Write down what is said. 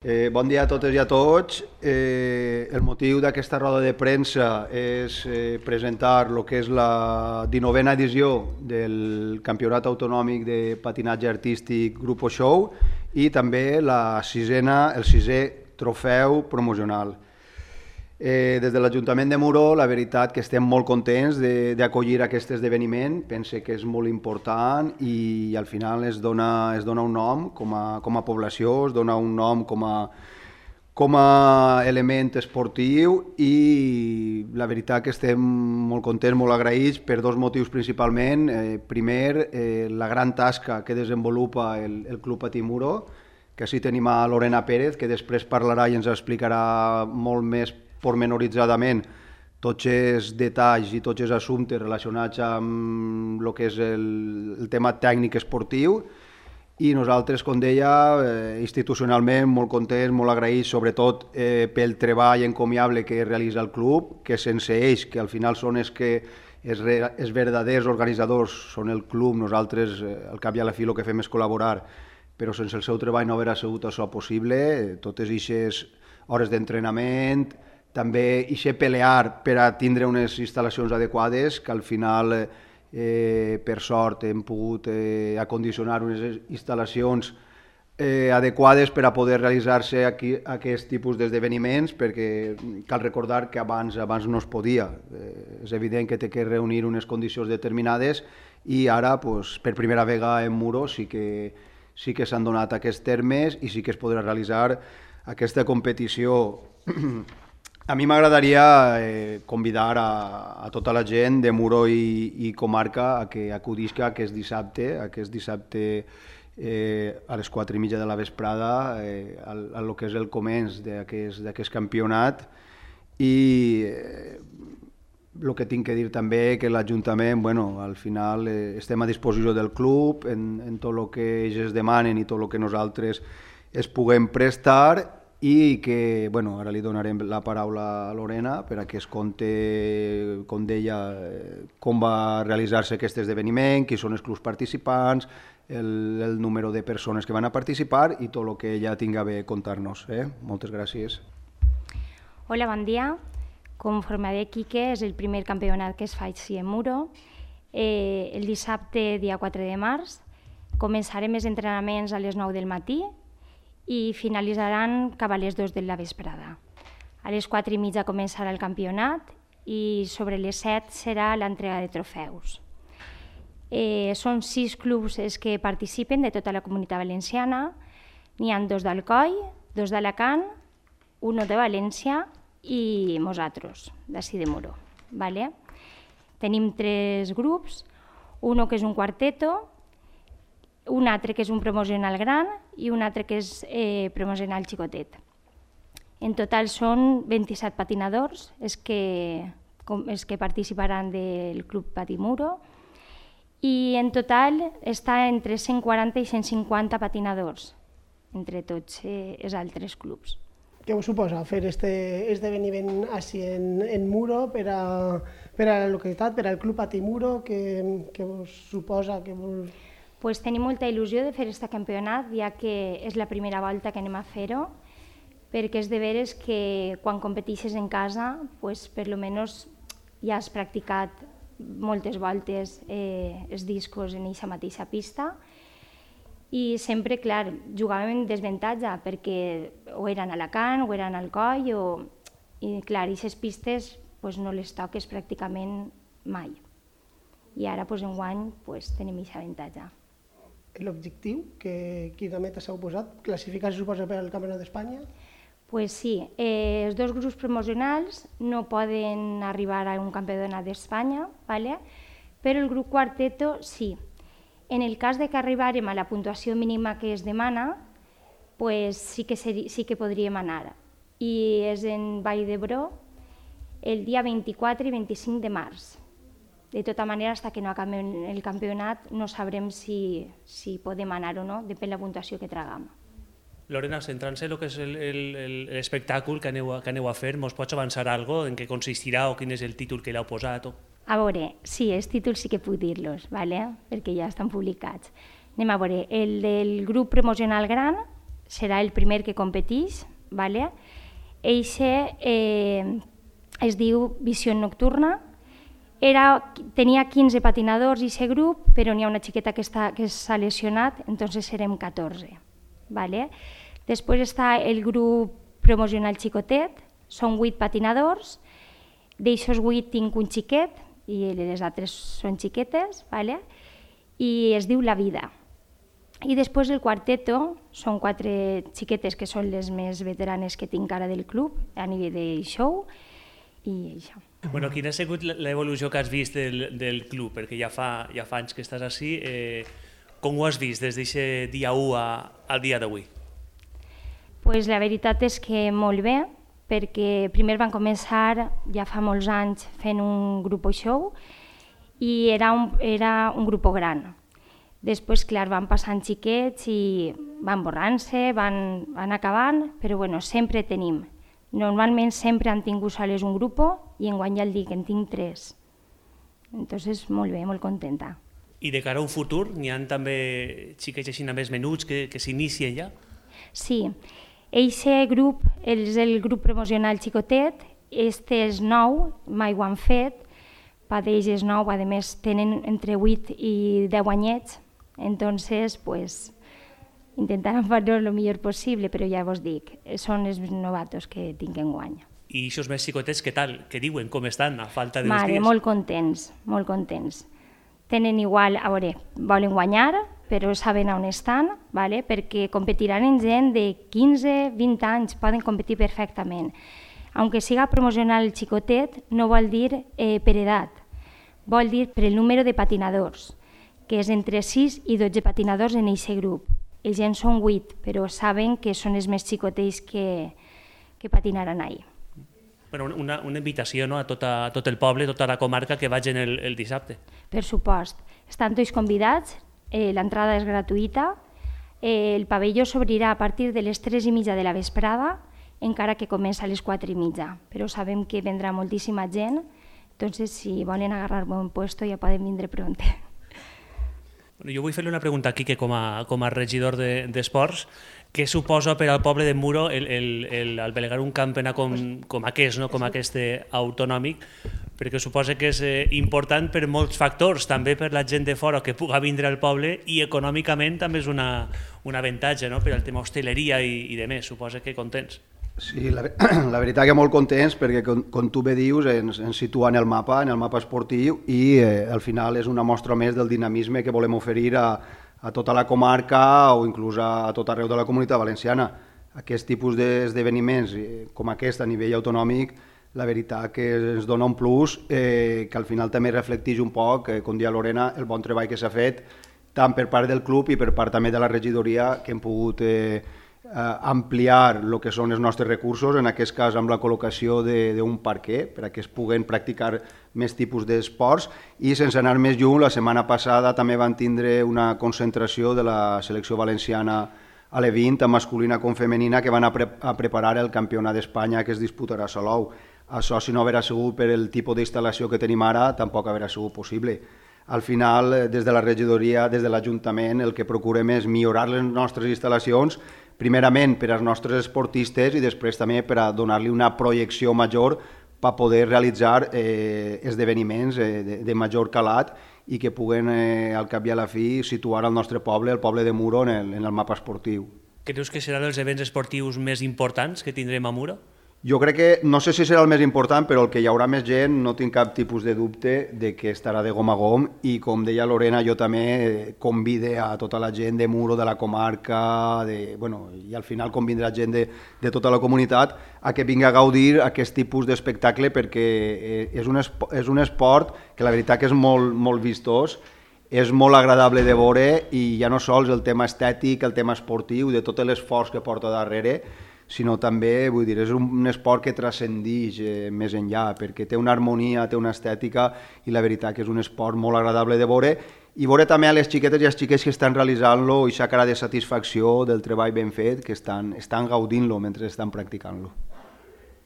Bon dia a totes i a tots. El motiu d'aquesta roda de premsa és presentar el que és la 19a edició del Campionat Autonòmic de Patinatge Artístic Grupo Show i també el sisè trofeu promocional. Des de l'Ajuntament de Muro, la veritat que estem molt contents d'acollir aquest esdeveniment. Pense que és molt important i al final es dona un nom com a població, es dona un nom com a element esportiu i la veritat que estem molt contents, molt agraïts per dos motius principalment. Primer, la gran tasca que desenvolupa el Club Patí Muro, que així tenim a Lorena Pérez, que després parlarà i ens explicarà molt més pormenoritzadament tots els detalls i tots els assumptes relacionats amb el que és el tema tècnic esportiu. I nosaltres, com deia, institucionalment molt contents, molt agraïts, sobretot pel treball encomiable que realitza el club, que sense ells, que al final són els verdaders organitzadors, són el club, nosaltres al cap i a la fi el que fem és col·laborar, però sense el seu treball no hauria sigut això possible. Totes aquestes hores d'entrenament, també pelear per a tindre unes instal·lacions adequades, que al final, per sort, hem pogut acondicionar unes instal·lacions adequades per a poder realitzar-se aquest tipus d'esdeveniments, perquè cal recordar que abans no es podia. És evident que té que reunir unes condicions determinades i ara, per primera vegada en Muro, sí que s'han donat aquests termes i sí que es podrà realitzar aquesta competició. A mi m'agradaria convidar a tota la gent de Muro i comarca a que acudisca aquest dissabte a les 4:30 de la vesprada a lo que és el començ d'aquest campionat. I el que tinc que dir també que l'Ajuntament, al final estem a disposició del club en tot el que ells es demanen i tot el que nosaltres es puguem prestar, i que ara li donarem la paraula a Lorena per a que es conti, com deia, com va realitzar-se aquest esdeveniment, qui són els clubs participants, el número de persones que van a participar i tot el que ella tinga bé contar-nos. Moltes gràcies. Hola, bon dia. Com formaré Quique, és el primer campionat que es fa així en Muro. El dissabte, dia 4 de març, començarem els entrenaments a les 9 del matí i finalitzaran cap a les 2 de la vesprada. A les 4:30 començarà el campionat i sobre les 7 serà l'entrega de trofeus. Són 6 clubs els que participen de tota la Comunitat Valenciana. N'hi ha 2 d'Alcoi, 2 d'Alacant, 1 de València i nosaltres, d'ací de Muro. Tenim 3 grups, un que és un quarteto, un altre que és un promocional gran i un altre que és promocional xicotet. En total són 27 patinadors els que participaran del Club Patí Muro i en total està entre 140 i 150 patinadors entre tots els altres clubs. Què us suposa fer aquest esdeveniment així en Muro per a la localitat, per al Club Patí Muro? Què us suposa? Tenim molta il·lusió de fer aquest campionat, ja que és la primera volta que anem a fer-ho, perquè és de veres que quan competeixes en casa, per almenys ja has practicat moltes voltes els discos en aquesta mateixa pista i sempre, clar, jugàvem en desavantatge perquè o eren a Alacant o eren al Alcoi i, clar, aquestes pistes no les toques pràcticament mai. I ara, enguany, tenim aquest avantatge. L'objectiu que quina meta s'heu posat? Classificar, se suposa, per al Campionat d'Espanya? Sí, els 2 grups promocionals no poden arribar a un Campionat d'Espanya, però el grup quarteto sí. En el cas que arribarem a la puntuació mínima que es demana, sí que podríem anar. I és en Vall d'Hebron el dia 24 i 25 de març. De tota manera, fins que no acabem el campionat no sabrem si podem anar o no, depèn de la puntuació que traguem. Lorena, centrant-se en el que és l'espectacle que aneu a fer, mos pots avançar alguna cosa en què consistirà o quin és el títol que l'heu posat? A veure, sí, els títols sí que puc dir-los, perquè ja estan publicats. Anem a veure, el del grup promocional gran serà el primer que competeix, ¿vale? Eixe es diu Visió Nocturna. Tenia 15 patinadors i aquest grup, però n'hi ha una xiqueta que s'ha lesionat, entonces serem 14. ¿Vale? Després està el grup promocional xicotet, són 8 patinadors, d'aixòs 8 tinc un xiquet i les altres són xiquetes, ¿vale? I es diu La Vida. I després el quarteto són 4 xiquetes que són les més veteranes que tinc ara del club a nivell de show i això. Bueno, quina ha sigut l'evolució que has vist del club? Perquè ja fa anys que estàs així. Com ho has vist des d'aquest dia 1 al dia d'avui? Pues la veritat és que molt bé, perquè primer van començar ja fa molts anys fent un grup show i era un grup gran. Després, clar, van passant xiquets i van borrant-se, van acabant, però bueno, sempre tenim. Normalment sempre han tingut soles un grup i enguany ja el dic, en tinc 3. Entonces, molt bé, molt contenta. I de cara a un futur, n'hi ha també xiquets així més menuts que s'inicien ja? Sí, eixe grup és el grup promocional xicotet, este és nou, mai ho han fet, pa d'ells és nou, a més tenen entre 8 i 10 anyets, entonces pues intentaran fer-ho el millor possible, però ja vos dic, són els novatos que tinc enguany. I aquests més xicotets, què tal? Què diuen? Com estan a falta d'uns dies? Molt contents, molt contents. Tenen igual, a veure, volen guanyar, però saben on estan, ¿vale? Perquè competiran en gent de 15-20 anys, poden competir perfectament. Aunque siga promocional el xicotet, no vol dir per edat, vol dir per el número de patinadors, que és entre 6 i 12 patinadors en aquest grup. Els gens són 8, però saben que són els més xicotets que patinaran ahir. Bueno, una invitació, no?, a tot el poble, a tota la comarca que vagin el dissabte. Per supost. Estan tots convidats, l'entrada és gratuïta, el pavelló s'obrirà a partir de les 3:30 de la vesprada, encara que comença a les 4:30, però sabem que vendrà moltíssima gent, entonces si volen agarrar bon puesto ja poden vindre pront. Bueno, jo vull fer-li una pregunta a Quique com a regidor d'esports. Què suposa per al poble de Muro albergar un campionat com aquest, no? Com aquest autonòmic? Perquè suposa que és important per molts factors, també per la gent de fora que pugui vindre al poble i econòmicament també és un avantatge, no?, per al tema hostaleria i de més. Suposa que contents. Sí, la veritat que molt contents perquè, com tu bé dius, ens situa en el mapa esportiu i al final és una mostra més del dinamisme que volem oferir a tota la comarca o inclús a tot arreu de la comunitat valenciana. Aquest tipus d'esdeveniments com aquest a nivell autonòmic, la veritat que ens dona un plus que al final també reflecteix un poc, com deia Lorena, el bon treball que s'ha fet tant per part del club i per part també de la regidoria, que hem pogut ampliar el que són els nostres recursos, en aquest cas amb la col·locació d'un parquet perquè es puguen practicar més tipus d'esports i sense anar més lluny, la setmana passada també van tindre una concentració de la selecció valenciana a l'E20, tant masculina com femenina, que van a preparar el campionat d'Espanya que es disputarà a Salou. Això, si no haguera sigut per el tipus d'instal·lació que tenim ara, tampoc haguera sigut possible. Al final, des de la regidoria, des de l'Ajuntament, el que procurem és millorar les nostres instal·lacions, primerament per als nostres esportistes i després també per a donar-li una projecció major per poder realitzar esdeveniments de major calat i que puguen, al cap i a la fi, situar el nostre poble, el poble de Muro, en el mapa esportiu. Creus que serà dels events esportius més importants que tindrem a Muro? Jo crec que, no sé si serà el més important, però el que hi haurà més gent, no tinc cap tipus de dubte de que estarà de gom a gom i, com deia Lorena, jo també convide a tota la gent de Muro, de la comarca, i al final convindrà gent de tota la comunitat a que vingui a gaudir aquest tipus d'espectacle perquè és un esport que la veritat que és molt vistós, és molt agradable de veure i ja no sols el tema estètic, el tema esportiu, de tot l'esforç que porta darrere, sinó també, vull dir, és un esport que transcendeix més enllà, perquè té una harmonia, té una estètica, i la veritat que és un esport molt agradable de veure, i veure també a les xiquetes i als xiquets que estan realitzant-lo i aquesta cara de satisfacció del treball ben fet, que estan gaudint-lo mentre estan practicant-lo.